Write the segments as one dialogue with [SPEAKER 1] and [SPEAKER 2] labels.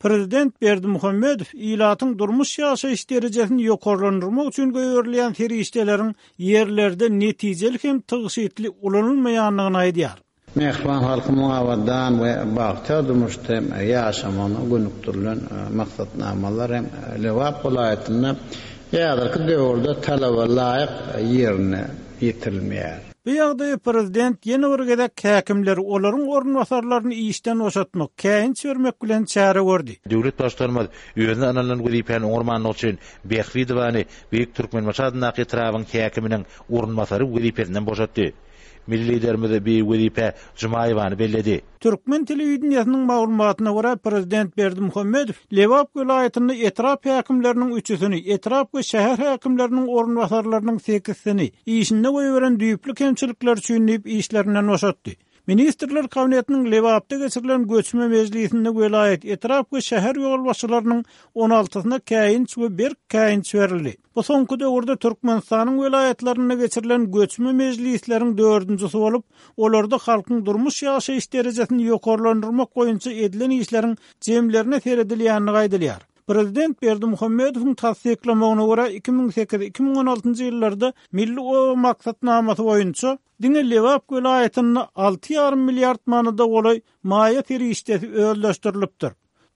[SPEAKER 1] Prezident Berdimuhamedow ilatyň durmuş-ýaşaýyş derejesini ýokarlandyrmak üçin goýberilýän serişdeleriň ýerlerde netijeli hem tygşytly ulanylmaýandygyny aýdýar.
[SPEAKER 2] Mähriban halkymyň abadan we bagtyýar durmuşda ýaşamagyna gönükdirilen maksatnamalar hem Lebap welaýatynda häzirki döwürde talaba laýyk ýerine ýetirilmeýär.
[SPEAKER 1] Bu ýagdaýa prezident ýene bir gezek häkimleri, olaryň orunbasarlaryny işden boşatmak, käýinç bermek bilen çäre gördi.
[SPEAKER 3] Döwlet Baştutanymyz özüne ynanylan wezipäni oňarmandygy üçin Bähbidowany Beýik Türkmenbaşy adyndaky etrabyň häkiminiň orunbasary wezipesinden boşatdy. Milli Liderimiz bi wezipä Jumaýewany belledi.
[SPEAKER 1] Türkmen telewideniýesiniň maglumatyna görä, prezident Berdimuhamedow Lebap welaýatynda etrap häkimleriniň üçüsini, etrap we şäher häkimleriniň orunbasarlarynyň sekizsini işinde goýberen düýpli kemçilikleri üçin diýip işlerinden boşatdy. Ministrler Kabinetiniň Lebapda geçirilen göçme mejlisinde welaýat, etrap we şäher ýolbaşçylarynyň on altysyna käýinç we berk käýinç berildi. Bu soňky döwürde Türkmenistanyň welaýatlarynda geçirilen göçme mejlisleriň dördünjisi bolup, olarda halkyň durmuş-ýaşaýyş derejesini ýokarlandyrmak boýunça edilen işleriň jemlerine seredilýändigi aýdylýar. Prezident Berdimuhamedowyň tassyklamagyna görä, 2008, 2016 ýyllarda Milli oba maksatnamasy boýunça diňe Lebap welaýatynda alty ýarym milliard manada golaý maýa serişdesi özleşdirilipdir.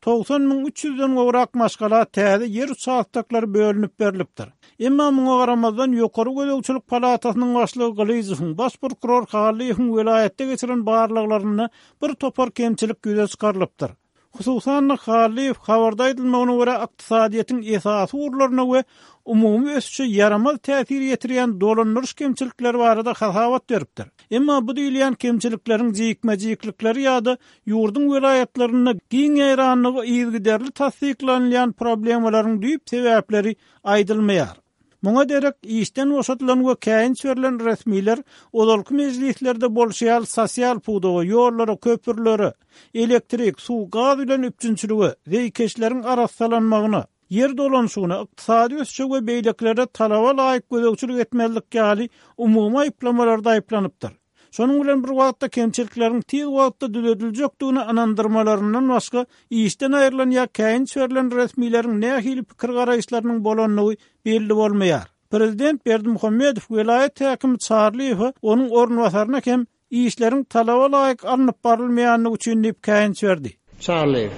[SPEAKER 1] 90 300-den gowrak maşgala täze ýer uçastoklary bölünip berlipdir. Emma muňa garamazdan, Ýokary gözegçilik palatasynyň başlygy Gylyjowyň, baş prokuror Hallyýewiň welaýatda geçiren barlaglarynda bir topar kemçilik ýüze çykarylypdyr. Hususan-da, Hallyýew, habarda aýdylmagyna görä, ykdysadyýetiň esasy ugurlaryna we umumy ösüşe ýaramaz täsir ýetirýän dolandyryş kemçilikleri barada hasabat beripdir. Emma bu diýilýän kemçilikleriň jikme-jiklikleri ýa-da ýurduň welaýatlarynda giň ýaýrandygy yzygiderli tassyklanylýan problemalaryň düýp sebäpleri aýdylmaýar. Muňa derek, işden boşadylan we käýinç berlen resmiler ozalky mejlislerde bolşy ýaly sosial pudaga, ýollara, köprülere, elektrik, suw, gaz bilen üpjünçilige, zeýkeşleriň arassalanmagyna, ýer dolanyşygyna, ykdysady ösüşe we beýlekilere talaba laýyk gözegçilik etmezlik ýaly umumy aýyplamalarda aýyplanypdyr. Şonuň bilen bir wagtda kemçilikleriň tiz wagtda düzediljekdigine ynandyrmalaryndan başga işden aýrylan ýa käýinç berlen resmileriň nähili pikir-garaýyşlarynyň bolandygy belli bolmaýar. Prezident Berdimuhamedow welaýat häkimi Çarlyýewe, onuň orunbasaryna hem işleriň talaba laýyk alnyp barylmaýandygy üçin diýip käýinç berdi.
[SPEAKER 2] Çarlyýew,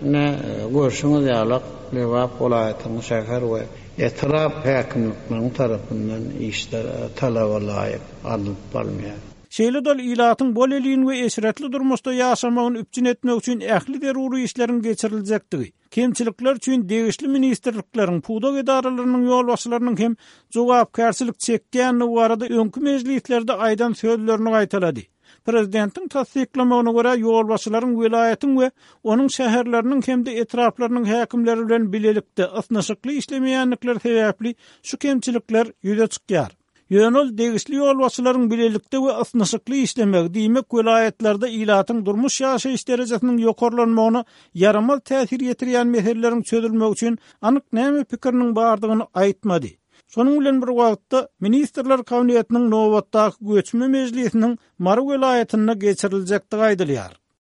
[SPEAKER 2] Ine, görşüňiz ýalak, Lebap welaýatynyň şäher we etrap häkimlikleriniň tarapyndan işler talaba laýyk alnyp barylmaýar.
[SPEAKER 1] Şeýle-de ol ilatyň bolelin we eşretli durmuşda ýaşamagyny üpjün etmek üçin ähli zerur işleriň geçiriljekdigi, kemçilikler üçin degişli ministrlikleriň, pudak edaralarynyň ýolbaşçylarynyň hem jogapkärçilik çekýändigi barada öňki mejlislerde aýdan sözlerini gaýtalady. Prezidentiň tassyklamagyna görä, ýolbaşçylaryň welaýatyň we onuň şäherleriniň hem-de etraplarynyň häkimleri bilen bilelikde ysnyşykly işlemeýändikleri sebäpli şu kemçilikler ýüze çykýar. Ýöne ol degişli ýolbaşçylaryň bilelikde we ysnyşykly işlemegi, diýmek, welaýatlarda ilatyň durmuş-ýaşaýyş derejesiniň ýokarlanmagyna ýaramaz täsir ýetirýän meseleleriň çözülmegi üçin anyk näme pikiriniň bardygyny aýtmady. Şonuň bilen bir wagtda, Ministrler Kabinetiniň nobatdaky göçme mejlisiniň Mary welaýatynda geçiriljekdigi aýdylýar.